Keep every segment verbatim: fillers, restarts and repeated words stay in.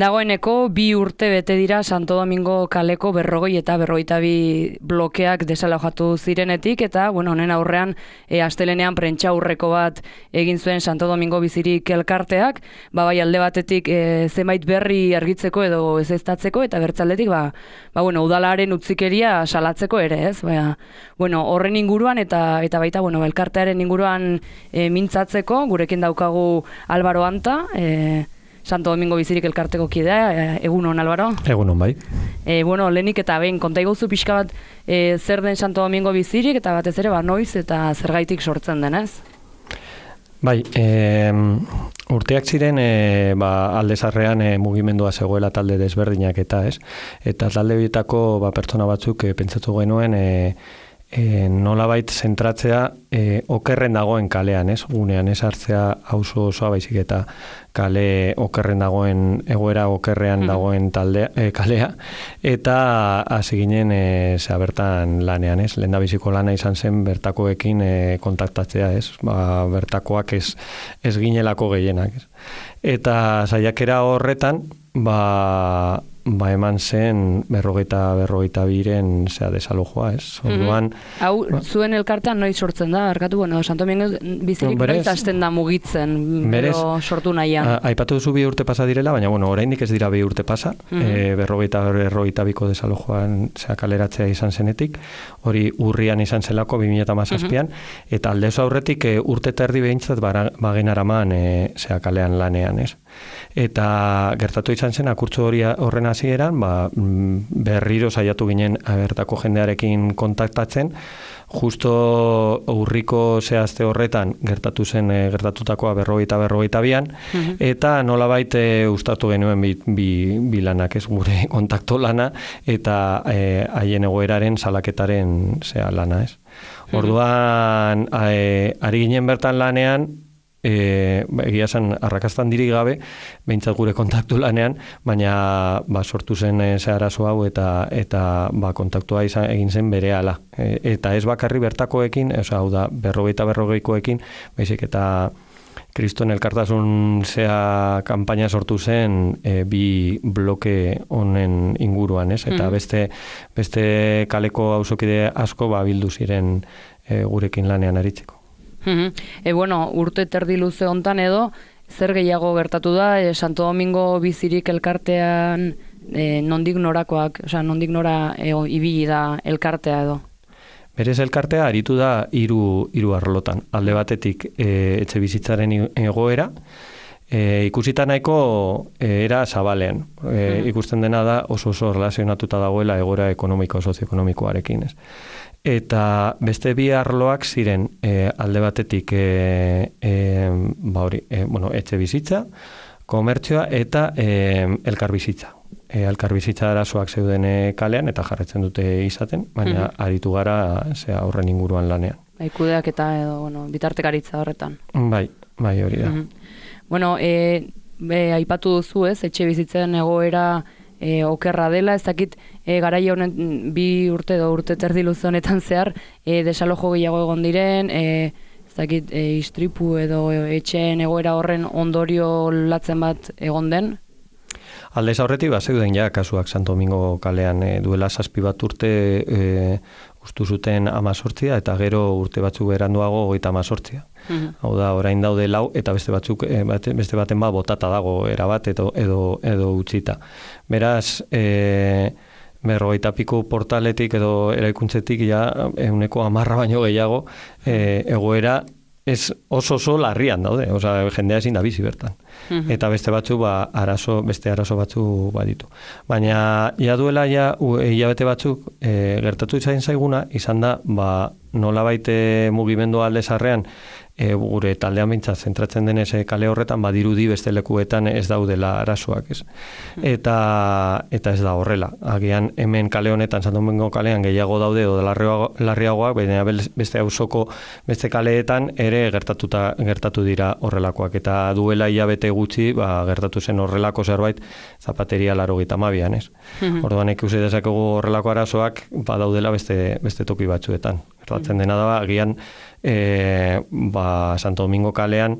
Dagoeneko bi urte bete dira Santo Domingo kaleko berrogei eta berrogeita bi blokeak desalojatu zirenetik, eta bueno, honen aurrean e, astelenean prentsaurreko bat egin zuen Santo Domingo bizirik elkarteak, ba bai alde batetik e, zenbait berri argitzeko edo ezeztatzeko, eta bertzaldetik ba, ba bueno, udalaren utzikeria salatzeko ere, ez? Ba, bueno, horren inguruan eta eta baita bueno, elkartearen inguruan e, mintzatzeko gurekin daukagu Álvaro Anta, e, Santo Domingo bizirik elkarteko kidea, egunon, Álvaro? Egunon, bai. E, bueno, lehenik eta behin, konta iguzu pixka bat e, zer den Santo Domingo bizirik, eta batez ere, ba, noiz eta zergaitik sortzen denez? Bai, e, urteak ziren e, ba, alde zarrean e, mugimendua zegoela talde desberdinak eta ez, eta talde bitako ba, pertsona batzuk e, pentsatu genuen e, E, nolabait zentratzea e, okerren dagoen kalean, ez? Gunean ez hartzea auzo osoa baizik eta kale okerren dagoen, egoera okerrean dagoen taldea, e, kalea, eta hasi ginen e, zea bertan lanean, ez? Lehendabiziko lana izan zen bertakoekin e, kontaktatzea, ez? Ba, bertakoak ez, ez ginelako gehienak, ez? Eta saiakera horretan, ba... ba eman zen berrogeita berrogeita biren zea desalojoa, ez? Orduan, mm-hmm. Hau, ba, zuen elkartean noiz sortzen da, arkatu, bueno, Santo Domingo bizirik no, noiz hasten da mugitzen, berez, sortu nahian. Aipatu duzu bi urte pasa direla, baina, bueno, oraindik ez dira bi urte pasa, mm-hmm. e, berrogeita berrogeita biko desalojoan zea kaleratzea izan zenetik, hori urrian izan zelako, bi mila hamazazpian, mm-hmm. eta aldezo aurretik e, urte terdi behintzat bagen araman e, zea kalean lanean, ez? Eta gertatu izan zen akurtso hori horren hasieran, ba, berriro saiatu ginen bertako jendearekin kontaktatzen, justo urriko zehazte horretan gertatu zen e, gertatutakoa berrogeita berrogeita bian, mm-hmm. eta nolabait e, ustatu genuen bi, bi, bi lanak, ez gure kontakto lana, eta e, haien egoeraren salaketaren zea lana, ez. Mm-hmm. Orduan, e, ari ginen bertan lanean, E, egia esan arrakastan diri gabe, behintzat gure kontaktu lanean, baina ba, sortu zen e, ze arazo hau eta eta ba, kontaktua izan, egin zen berehala. E, eta ez bakarri bertakoekin, oza, hau da, berrogeita berrogeikoekin, baizik eta Kriston elkartasun zea kanpaina sortu zen e, bi bloke honen inguruan, ez? Eta mm-hmm. beste, beste kaleko auzokide asko ba, bildu ziren e, gurekin lanean aritzeko. E, bueno, urte terdi luze hontan edo, zer gehiago gertatu da, e, Santo Domingo bizirik elkartean e, nondik norakoak, osea, nondik nora e, ibili da elkartea edo? Berez elkartea aritu da hiru hiru arlotan. Alde batetik e, etxe bizitzaren egoera, e, ikusita nahiko e, era zabalean. E, hmm. Ikusten dena da oso oso relazionatuta dagoela egoera ekonomiko, sozioekonomikoarekin, ez? Eta beste bi arloak ziren e, alde batetik e, e, ba hori, e, bueno, etxe bizitza, komertzioa eta e, elkar bizitza. E, elkar bizitza arazoak zeuden kalean eta jarretzen dute izaten, baina mm-hmm. aritu gara zea horren inguruan lanean. Bai, kudeak eta edo, bueno, bitartekaritza horretan. Bai, bai hori da. Mm-hmm. Bueno, e, be, aipatu duzu ez, etxe bizitzen egoera E, okerra dela, ez dakit e, garaia honen bi urte edo urte terdi luze honetan zehar e, desalojo gehiago egon diren, e, ez dakit e, istripu edo etxeen egoera horren ondorio latzen bat egon den? Aldez aurretik bat zeuden ja kasuak Santo Domingo kalean e, duela zazpi bat urte e, ustu zuten amazortzia eta gero urte batzuk beranduago goita amazortzia. Mm-hmm. Hau da, orain daude lau eta beste batzuk e, bate, beste baten ba botata dago erabat edo, edo, edo utzita. Beraz, e, berrogeita piku portaletik edo eraikuntzetik ja ehuneko hamarra baino gehiago e, egoera ez oso oso larrian daude, osea jendea ezin da bizi bertan. Mm-hmm. Eta beste batzu ba arazo, beste arazo batzu baditu. Baina ja duela ja hilabete batzuk e, gertatu izan zaiguna izan da ba nolabait mugimendu alde zarrean e, gure taldean behintzat zentratzen denez kale horretan badirudi beste lekuetan ez daudela arazoak, ez. Eta eta ez da horrela. Agian hemen kale honetan Santo Domingo kalean gehiago daude edo larriagoak, baina beste auzoko beste kaleetan ere gertatuta gertatu dira horrelakoak eta duela hilabete gutxi ba, gertatu zen horrelako zerbait zapateria laurogeita hamabian, ez. Mm-hmm. Orduan ikusi dezakegu horrelako arazoak badaudela beste beste toki batzuetan. Gertatzen dena da agian e, ba, Santo Domingo kalean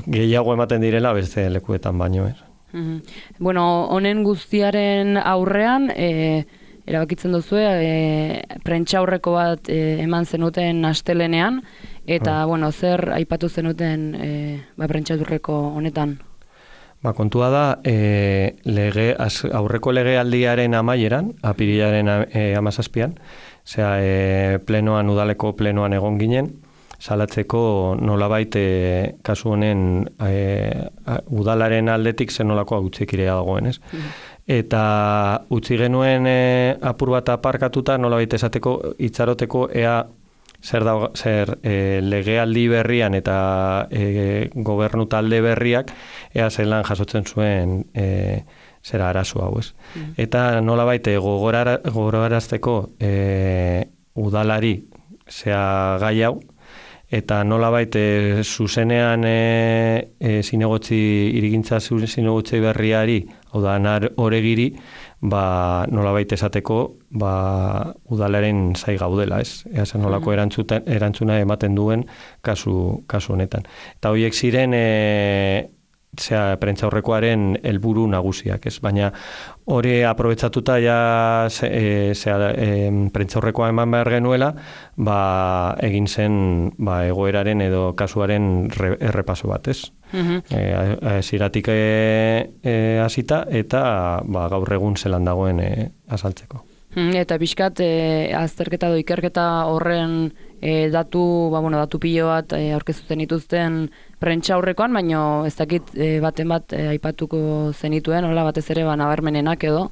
gehiago ematen direla beste lekuetan baino, ez. Mm-hmm. Bueno, honen guztiaren aurrean, e, erabakitzen duzue, e, prentxaurreko bat e, eman zenuten astelenean, eta, mm. bueno, zer aipatu zenuten e, ba, prentxaurreko honetan? Ba, kontua da, e, lege, az, aurreko legealdiaren amaieran, apirilaren e, amazazpian, zera, e, plenoan, udaleko plenoan egon ginen, salatzeko nolabait e, kasu honen e, udalaren aldetik zenolako utzikirea dagoen, ez? Mm. Eta utzi genuen e, apur bat aparkatuta nolabait esateko itxaroteko ea zer, da, zer e, legealdi berrian eta e, gobernu talde berriak ea zelan jasotzen zuen e, zera arazo hau, ez? Mm. Eta nolabait gogorarazteko e, udalari zea gai hau, eta nolabait e, zuzenean e, e, zinegotzi, irigintza zinegotzi berriari, hau da, oregiri, ba, nolabait esateko, ba, udalaren zai gaudela, ez? Ea zen nolako erantzuna ematen duen kasu, kasu honetan. Eta horiek ziren, e, zera, prentxaurrekoaren helburu nagusiak, ez? Baina hori aprobetsatuta ja e, zera, e, prentxaurrekoa eman behar genuela, ba, egin zen ba, egoeraren edo kasuaren re, errepaso bat, ez? Mm-hmm. E, ziratik hasita e, eta ba, gaur egun zelan dagoen e, azaltzeko. Eta pixkat, e, azterketa edo ikerketa horren e, datu, ba, bueno, datu pilo bat e, aurkeztu zenituzten prentxaurrekoan, baina ez dakit e, baten bat e, aipatuko zenituen, hola batez ere ba, nabarmenenak edo?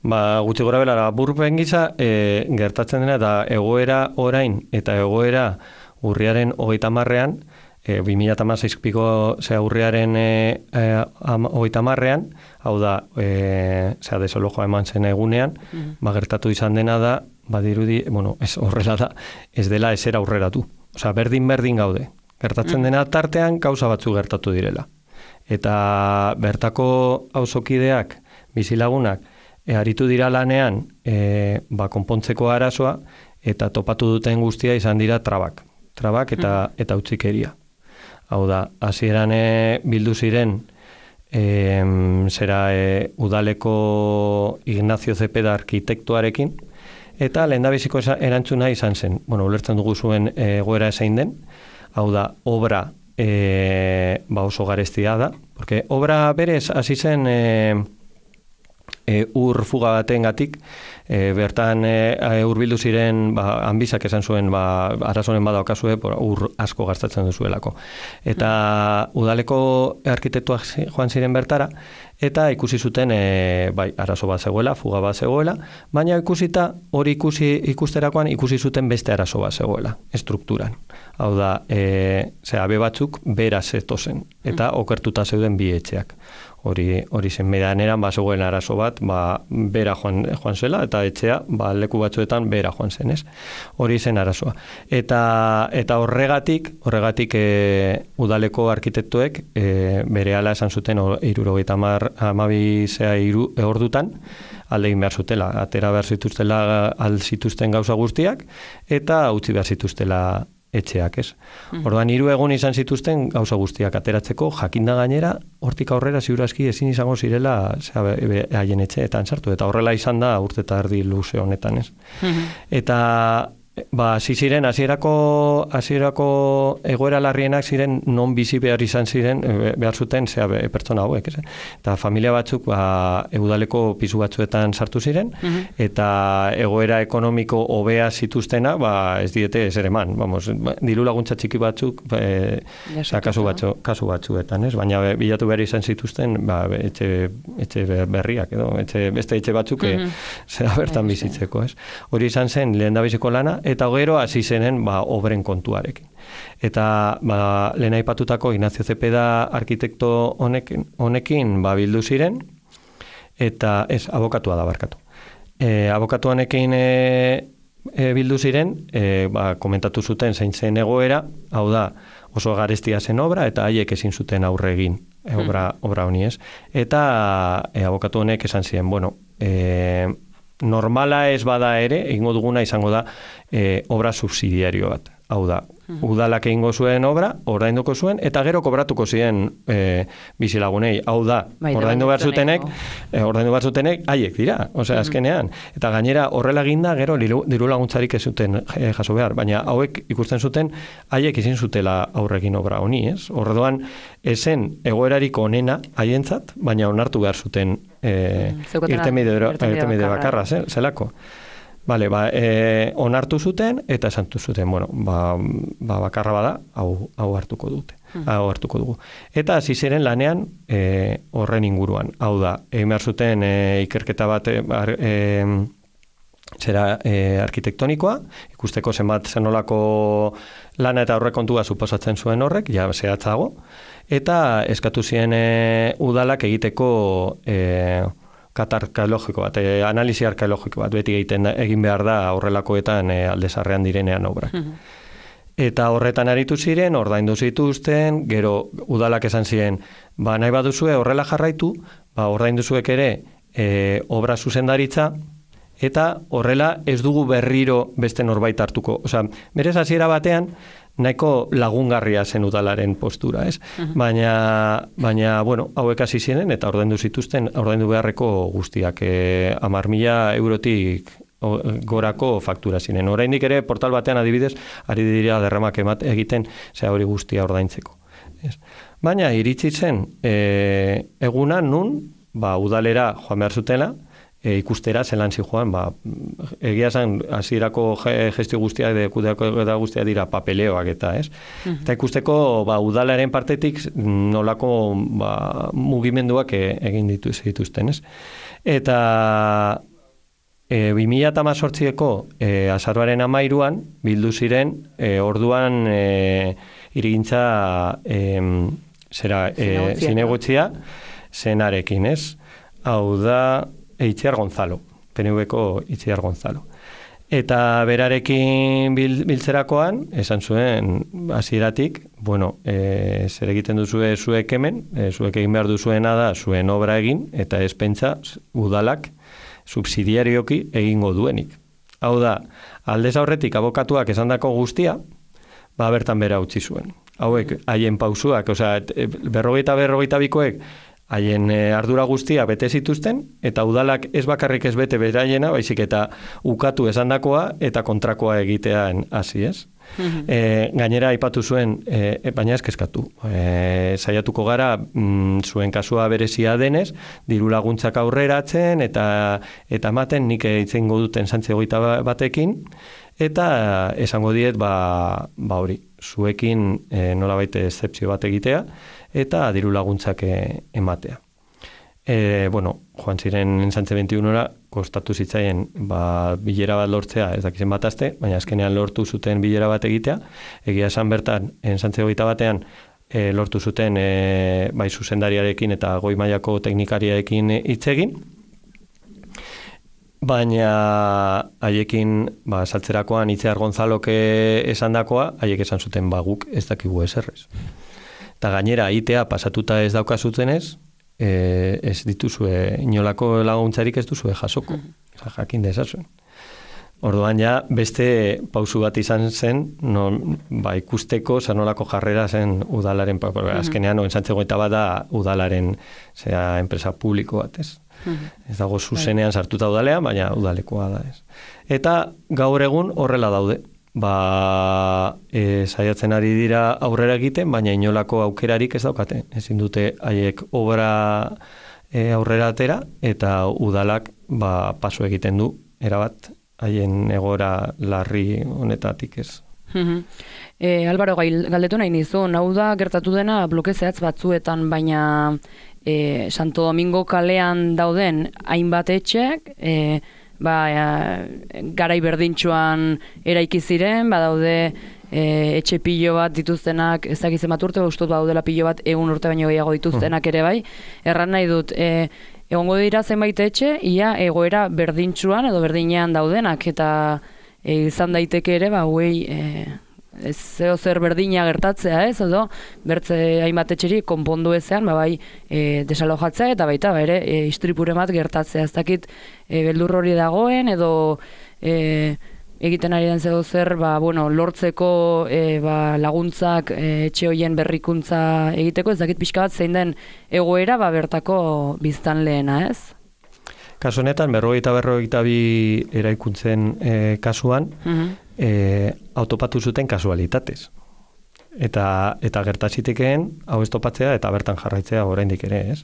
Ba, gutxi gora belara, burpen gisa e, gertatzen dena eta egoera orain eta egoera urriaren hogeita marrean, e, bi mila hamazazpiko zea urriaren e, e, hogeita marrean, hau da, e, zea desalojoa eman zen egunean, mm-hmm. ba, gertatu izan dena da, badirudi, bueno, ez horrela da, ez dela esera aurreratu. Osea, berdin-berdin gaude. Gertatzen dena tartean gauza batzu gertatu direla. Eta bertako auzokideak, bizilagunak, e, aritu dira lanean e, ba, konpontzeko arazoa eta topatu duten guztia izan dira trabak. Trabak eta, eta utzikeria. Hau da, hasieran e, bildu ziren e, zera e, udaleko Ignacio Zepeda arkitektuarekin, eta lehendabiziko erantzuna izan zen. Bueno, ulertzen dugu zuen egoera ezein den, hau da, obra e, ba oso garestia da, porque obra berez hasi zen e, e, ur fuga batengatik, e, bertan e, urbildu ziren ba, hanbizak esan zuen ba, arazonen badaukazue ur asko gastatzen duzuelako. Eta udaleko arkitektuak joan ziren bertara, eta ikusi zuten e, bai, arazo bat zegoela, fuga bat zegoela, baina ikusita hori ikusi ikusterakoan ikusi zuten beste arazo bat zegoela, estrukturan. Hau da, e, zera, be batzuk bera zetozen, eta okertuta zeuden bi etxeak. Hori, hori zen medaneran, ba, zegoen arazo bat, ba, bera joan, joan zela, eta etxea, ba, leku batzuetan bera joan zen, ez? Hori zen arazoa. Eta, eta horregatik, horregatik e, udaleko arkitektuek e, berehala esan zuten hirurogeita hamabi zea hiru ordutan, alde egin behar zutela, atera behar zituztela al zituzten gauza guztiak, eta utzi behar zituztela etxeak, ez? Mm. Orduan, hiru egun izan zituzten gauza guztiak ateratzeko, jakinda gainera, hortik aurrera ziurazki ezin izango zirela haien etxeetan sartu, eta horrela izan da urte eta erdi luze honetan, ez? Mm-hmm. Eta ba, hasi ziren, hasierako hasierako egoera larrienak ziren non bizi behar izan ziren, behar zuten zea pertsona hauek, ez? Eta familia batzuk ba, udaleko pisu batzuetan sartu ziren, mm-hmm. eta egoera ekonomiko hobea zituztena, ba, ez diete ez ere eman, vamos, diru laguntza txiki batzuk, e, ja, kasu, batzu, kasu batzuetan, ez? Baina bilatu behar izan zituzten, ba, etxe, etxe berriak, edo, etxe, beste etxe batzuk, mm-hmm. zera bertan bizitzeko, ez? Hori izan zen lehendabiziko lana, eta gero hasi zenen ba, obren kontuarekin. Eta ba, lehen aipatutako Ignacio Zepeda arkitekto honekin, honekin ba, bildu ziren, eta ez, abokatua da barkatu. E, abokatu honekin e, e, bildu ziren, e, ba, komentatu zuten zein zen egoera, hau da, oso garestia zen obra, eta haiek ezin zuten aurre egin e, obra, obra honi ez. Eta e, abokatu honek esan ziren, bueno, e, normala ez bada ere, egingo duguna izango da e, obra subsidiario bat. Hau da, udalak egingo zuen obra, ordainduko zuen, eta gero kobratuko ziren e, bizilagunei. Hau da, bai, ordaindu behar zutenek, e, ordaindu behar zutenek, haiek dira, osea, mm-hmm. azkenean. Eta gainera, horrela eginda, gero diru laguntzarik ez zuten e, jaso behar, baina hauek ikusten zuten, haiek izin zutela aurrekin obra honi, ez? Orduan, esen egoerarik onena haientzat, baina onartu behar zuten e, mm, irtenbide bakarra, zelako. Vale, ba, e, onartu zuten eta esantu zuten, bueno, ba, ba bakarra bada, hau, hau hartuko dute, hmm. hau hartuko dugu. Eta hasi ziren lanean e, horren inguruan. Hau da, egin behar zuten e, ikerketa bat e, e, zera e, arkitektonikoa, ikusteko zenbat zenolako lana eta horrekontua suposatzen zuen horrek, ja zehatzago, eta eskatu ziren e, udalak egiteko e, kata arkeologiko bat, e, analisi arkeologiko bat, beti egiten da, egin behar da aurrelakoetan e, aldezarrean direnean obrak. Eta horretan aritu ziren, ordaindu zituzten, gero udalak esan ziren, ba nahi baduzue horrela jarraitu, ba ordaindu zuek ere e, obra zuzendaritza, eta horrela ez dugu berriro beste norbait hartuko. Osea, berez hasiera batean, nahiko lagungarria zen udalaren postura, ez? Uh-huh. Baina, baina, bueno, hauek hasi ziren eta ordaindu zituzten, ordaindu beharreko guztiak, e, hamar mila eurotik gorako faktura ziren. Oraindik ere, portal batean adibidez, ari dira derramak emat egiten, zea hori guztia ordaintzeko. Ez? Baina, iritsi zen, e, eguna nun, ba, udalera joan behar zutela, E, ikustera zelan zi joan, ba, egia zen hasierako gestio guztia de kudeako da guztia dira papeleoak eta, ez? Uh-huh. Eta ikusteko ba udalaren partetik nolako ba mugimenduak e, egin ditu dituzten, ez? Eta e, bi mila hemezortziko e, azaroaren hamairuan bildu ziren e, orduan e, irigintza e, zera e, zinegotzia zenarekin, ez? Hau da Itziar Gonzalo, P N V-ko Itziar Gonzalo. Eta berarekin bil, biltzerakoan, esan zuen hasieratik, bueno, e, zer egiten duzue zuek hemen, e, zuek egin behar duzuena da zuen obra egin, eta ez pentsa udalak subsidiarioki egingo duenik. Hau da, aldez aurretik abokatuak esandako guztia, ba bertan bera utzi zuen. Hauek, haien pausuak, osea, berrogeita berrogeita bikoek, haien ardura guztia bete zituzten, eta udalak ez bakarrik ez bete beraiena, baizik eta ukatu esandakoa eta kontrakoa egitean hasi, ez? Mm-hmm. E, gainera aipatu zuen, e, baina ez kezkatu. E, saiatuko gara, mm, zuen kasua berezia denez, diru laguntzak aurreratzen, eta eta ematen nik itzengo duten santze hogeita batekin, eta esango diet, ba, ba hori, zuekin e, nolabait excepzio bat egitea, eta diru laguntzak ematea. E, bueno, joan ziren ensantze veintiunora, kostatu zitzaien ba, bilera bat lortzea, ez dakizen bat aste, baina azkenean lortu zuten bilera bat egitea, egia esan bertan, ensantze hogeita batean, e, lortu zuten e, bai zuzendariarekin eta goi mailako teknikariarekin hitz egin, baina haiekin ba, saltzerakoan Itziar Gonzalok esandakoa, haiek esan zuten ba, guk ez dakigu eserrez. Eta gainera, aitea pasatuta ez daukazutenez, e, ez dituzue, inolako laguntzarik ez duzue jasoko, jakin dezazuen. Orduan ja, beste pausu bat izan zen, non, ba, ikusteko zanolako jarrera zen udalaren, azkenean, no, ensantzegoeta bat da udalaren, zera, enpresa publiko bat, ez? Ez dago zuzenean sartuta udalean, baina udalekoa da, ez? Eta gaur egun horrela daude. Ba, e, saiatzen ari dira aurrera egiten, baina inolako aukerarik ez daukate. Ezin dute haiek obra e, aurrera atera, eta udalak ba, paso egiten du, erabat, haien egora larri honetatik ez. e, Álvaro, galdetu nahi nizun, hau da gertatu dena bloke zehatz batzuetan, baina e, Santo Domingo kalean dauden hainbat etxek, e, ba, e, garai berdintxoan eraiki ziren, badaude e, etxe pilo bat dituztenak, ez dakitzen bat urte, ustot baudela pilo bat egun urte baino gehiago dituztenak ere bai, erran nahi dut, e, egongo dira zenbait etxe, ia egoera berdintxuan edo berdinean daudenak, eta e, izan daiteke ere, ba, huei, e, ez zeo zer berdina gertatzea, ez, edo bertze hainbat etxeri konpondu ezean, ba, bai, e, desalojatzea eta baita, ba, ere, e, istripure bat gertatzea, ez dakit, e, beldur hori dagoen, edo e, egiten ari den zego zer, ba, bueno, lortzeko e, ba, laguntzak e, etxe hoien berrikuntza egiteko, ez dakit pixka bat zein den egoera ba, bertako biztanleena, ez? Kasu honetan, berrogeita berrogeita bi eraikuntzen e, kasuan, uh-huh. e, autopatu zuten kasualitatez. Eta, eta gertazitekeen hau ez topatzea eta bertan jarraitzea oraindik ere, ez?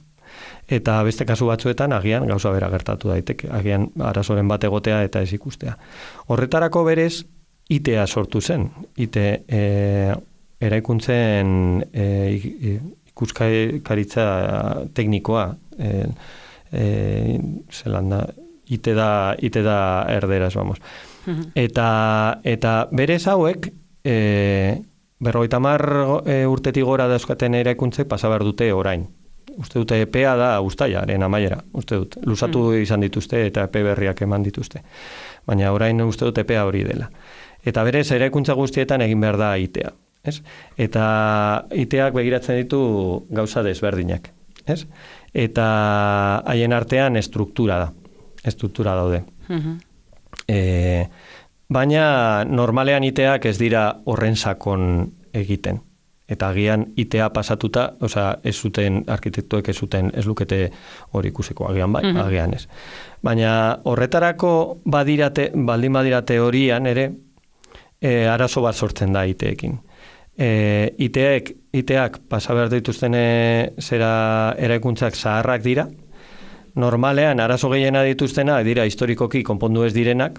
Eta beste kasu batzuetan agian gauza bera gertatu daiteke, agian arazoren bat egotea eta ez ikustea. Horretarako berez I T A sortu zen, I T e, eraikuntzen e, ikuskaritza teknikoa, e, e, zelan da, I T da, I T da erderaz, vamos. Uh-huh. Eta, eta berez hauek, e, berrogeita hamar e, urtetik gora dauzkaten eraikuntze pasa behar dute orain. Uste dute epea da uztailaren amaiera, uste dut. Luzatu mm. izan dituzte eta epe berriak eman dituzte. Baina orain uste dut epea hori dela. Eta berez, eraikuntza guztietan egin behar da I T A. Ez? Eta I T Ak begiratzen ditu gauza desberdinak. Ez? Eta haien artean estruktura da. Estruktura daude. Mm-hmm. E, baina normalean I T Ak ez dira horren sakon egiten. Eta agian I T A pasatuta, osea, ez zuten arkitektuek ez zuten ez lukete hori ikusiko, agian bai, mm-hmm. agian ez. Baina horretarako badirate, baldin badira teorian ere, e, arazo bat sortzen da I T ekin. E, I T ek, I T ak pasa behar dituzten e, zera eraikuntzak zaharrak dira, normalean arazo gehiena dituztena dira historikoki konpondu ez direnak,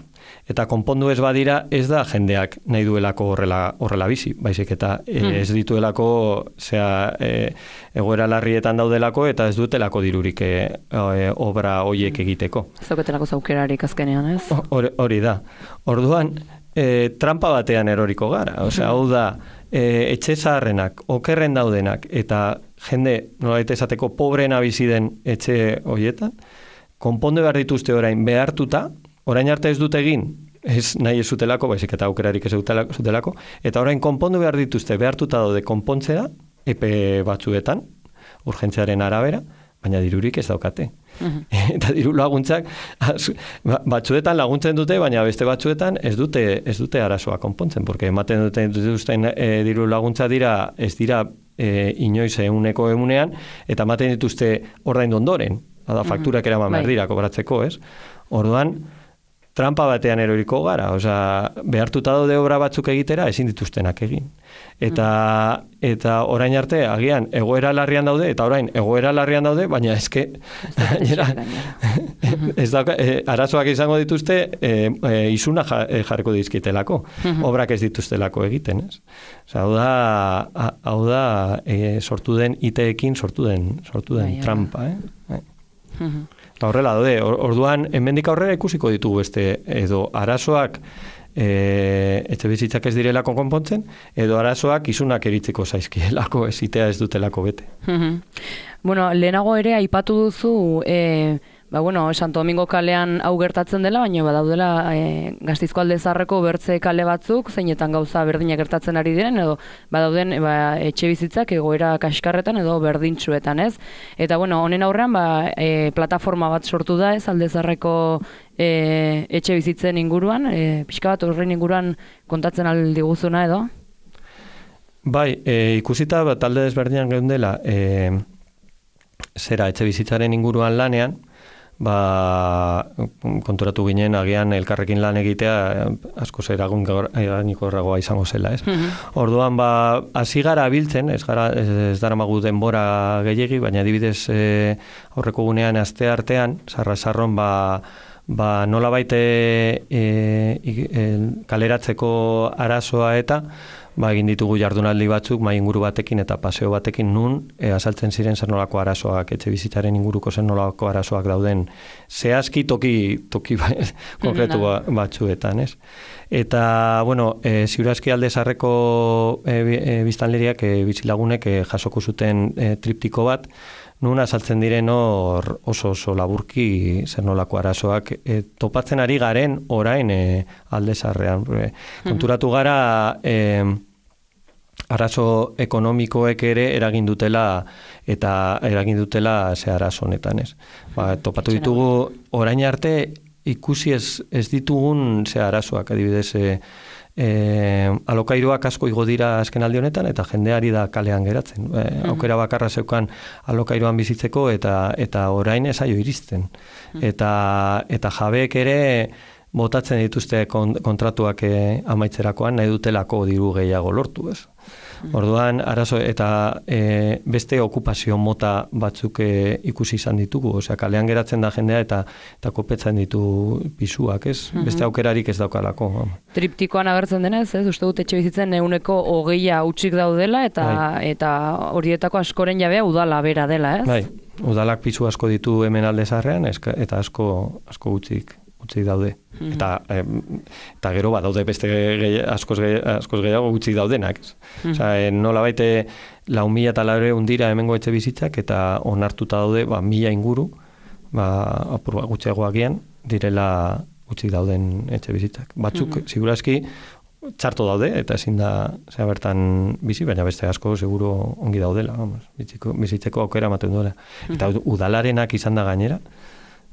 eta konpondu ez badira ez da jendeak nahi duelako horrela, horrela bizi, baizik eta mm. ez dituelako zera, e, egoera larrietan daudelako eta ez dutelako dirurik e, e, obra hoiek egiteko. Ez dauketelako zaukerarik azkenean, ez? Hori, hori da. Orduan, e, trampa batean eroriko gara. Osea, hau da, e, etxe zaharrenak, okerren daudenak, eta jende, nolabait esateko, pobrena bizi den etxe horietan, konpondu behar dituzte orain behartuta, orain arte ez dut egin, ez nahi ez zutelako, baizik eta aukerarik ez zutelako, eta orain konpondu behar dituzte behartuta daude konpontzera, epe batzuetan, urgentziaren arabera, baina dirurik ez daukate. Uh-huh. Eta diru laguntzak batzuetan laguntzen dute, baina beste batzuetan ez dute ez dute arazoa konpontzen, porque ematen duten dituzten e, diru laguntza dira, ez dira e, inoiz eguneko egunean, eta ematen dituzte ordaindu ondoren, da fakturak eraman behar dira kobratzeko, ez? Orduan, trampa batean eroriko gara, osea, behartuta daude obra batzuk egitera, ezin dituztenak egin. Eta, eta orain arte, agian, egoera larrian daude, eta orain, egoera larrian daude, baina eske, ez da, e, arazoak izango dituzte, e, e, izuna jarriko dizkitelako, obrak ez dituztelako egiten, ez? Osea, hau da, hau da e, sortu den I T ekin sortu den, sortu den trampa, eh? Horrela daude, orduan, hemendik aurrera ikusiko ditugu beste, edo arazoak e, etxe bizitzak ez direlako konpontzen, edo arazoak izunak eritzeko zaizkielako, ez itea ez dutelako bete. Bueno, lehenago ere aipatu duzu, e, ba, bueno, Santo Domingo kalean hau gertatzen dela, baina badaudela e, Gasteizko Alde Zaharreko bertze kale batzuk, zeinetan gauza berdinak gertatzen ari diren, edo badauden e, ba, etxe bizitzak egoera kaskarretan edo berdintsuetan, ez? Eta, bueno, honen aurrean, ba, e, plataforma bat sortu da, ez, Alde Zaharreko e, etxe bizitzen inguruan, e, pixka bat horren inguruan kontatzen aldiguzuna, edo? Bai, e, ikusita bat talde desberdinan geundela, e, zera etxe bizitzaren inguruan lanean, ba, konturatu ginen agian elkarrekin lan egitea asko zeragun eragikorragoa izango zela, ez? Mm-hmm. Orduan, ba, hasi gara biltzen, ez gara, ez, ez daramagu denbora gehiegi, baina adibidez e, aurreko gunean aste artean, sarra-sarron, ba, ba, nola baite e, e, kaleratzeko arazoa eta ba, egin ditugu jardunaldi batzuk mai inguru batekin eta paseo batekin nun e, azaltzen ziren zer nolako arazoak, etxe bizitzaren inguruko zer nolako arazoak dauden zehazki toki, toki ba, konkretu ba, batzuetan, ez? Eta, bueno, e, ziurazki Alde Zaharreko e, e, biztanleriak, e, bizilagunek e, jasoko zuten e, triptiko bat, nun azaltzen diren hor oso oso laburki zer nolako arazoak e, topatzen ari garen orain e, Alde Zaharrean. E, konturatu gara e, arazo ekonomikoek ere eragin dutela eta eragin dutela ze arazo honetan, ez. Ba, topatu ditugu orain arte ikusi ez, ez ditugun ze arazoak, adibidez, e, e, alokairuak asko igo dira azken aldi honetan, eta jendeari da kalean geratzen. E, aukera bakarra zeukan alokairuan bizitzeko, eta eta orain esaio iristen. Eta, eta jabeek ere botatzen dituzte kontratuak e, amaitzerakoan, nahi dutelako diru gehiago lortu, ez? Orduan, arazo eta e, beste okupazio mota batzuk e, ikusi izan ditugu, osea, kalean geratzen da jendea eta eta kopetzen ditu pisuak, ez? Mm-hmm. Beste aukerarik ez daukalako. Triptikoan agertzen denez, ez? Uste dut etxe bizitzen ehuneko hogeia hutsik daudela eta bai. Eta horietako askoren jabea udala bera dela, ez? Bai, udalak pisu asko ditu hemen alde zaharrean eta asko asko utzik utzi daude. Mm-hmm. Eta, e, eta gero bat daude beste gehi, askoz, gehi, askoz gehiago utzi daudenak. Mm-hmm. Osa, e, nola baite lau mila eta laure undira hemengo etxe bizitzak eta onartuta daude ba, mila inguru, ba, apur bat gutxiago agian, direla utzi dauden etxe bizitzak. Batzuk, mm-hmm. segurazki, txarto daude, eta ezin da zera bertan bizi, baina beste asko seguro ongi daudela, vamos, bizitzeko, bizitzeko aukera ematen duela. Mm-hmm. Eta udalarenak izan da gainera,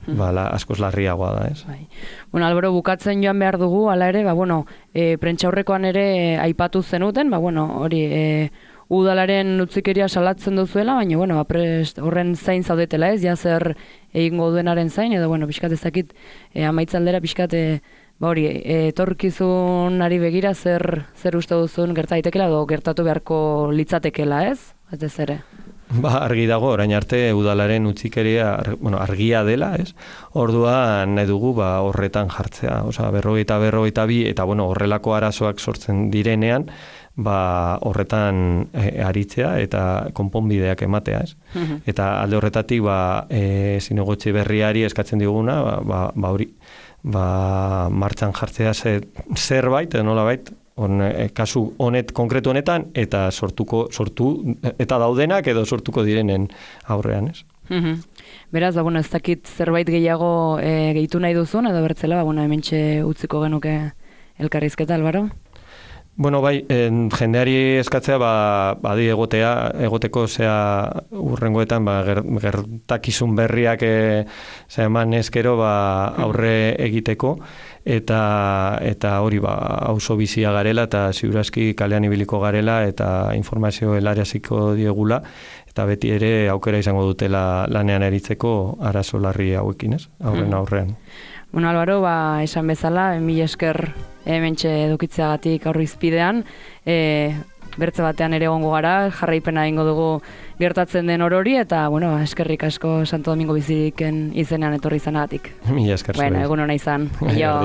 Bala, askoz larriagoa da, ez? Bai. Bueno, Albero, bukatzen joan behar dugu, ala ere, ba, bueno, e, prentxaurrekoan ere e, aipatu zenuten, ba, bueno, hori, e, udalaren utzikeria salatzen duzuela, baina, bueno, ba, prest, horren zain zaudetela, ez? Ja zer egingo duenaren zain, edo, bueno, pixkat ezakit, e, amaitzaldera, pixkat, e, ba, hori, e, etorkizunari begira, zer, zer uste duzun gerta daitekela, edo gertatu beharko litzatekela, ez? Ez ez ere. Ba, argi dago, orain arte udalaren utzikeria ar, bueno, argia dela, ez? Orduan nahi dugu ba, horretan jartzea, osea, berrogeita berrogeita bi, eta bueno, horrelako arazoak sortzen direnean, ba, horretan e, aritzea eta konponbideak ematea, ez? Mm-hmm. Eta alde horretatik, ba, e, zinegotzi berriari eskatzen diguna, ba, ba, ba hori, ba, martxan jartzea zer, zerbait, edo nolabait, On, e, kasu honet konkretu honetan eta sortuko sortu eta daudenak edo sortuko direnen aurrean, ez? Mm-hmm. Beraz, ba, bueno, ez dakit zerbait gehiago e, gehitu nahi duzun edo bertzela, ba, bueno, hementxe utziko genuke elkarrizketa, Albaro? Bueno, bai, en, jendeari eskatzea, ba, badi egotea, egoteko zea urrengoetan, ba, ger, gertakizun berriak e, zea eman eskero, ba, aurre egiteko, eta eta hori ba auzo bizia garela eta ziurazki kalean ibiliko garela eta informazio helaraziko diegula eta beti ere aukera izango dutela lanean eritzeko arazo larri hauekin, ez? Aurren aurrean. Bueno, Albaro, ba, esan bezala, mila esker hementxe edukitzeagatik aurrizpidean, e, bertze batean ere egongo gara, jarraipena egingo dugu gertatzen den orori, eta, bueno, eskerrik asko Santo Domingo Biziriken izenean etorri izanagatik. Mila esker. Bueno, egun hona izan. Jo.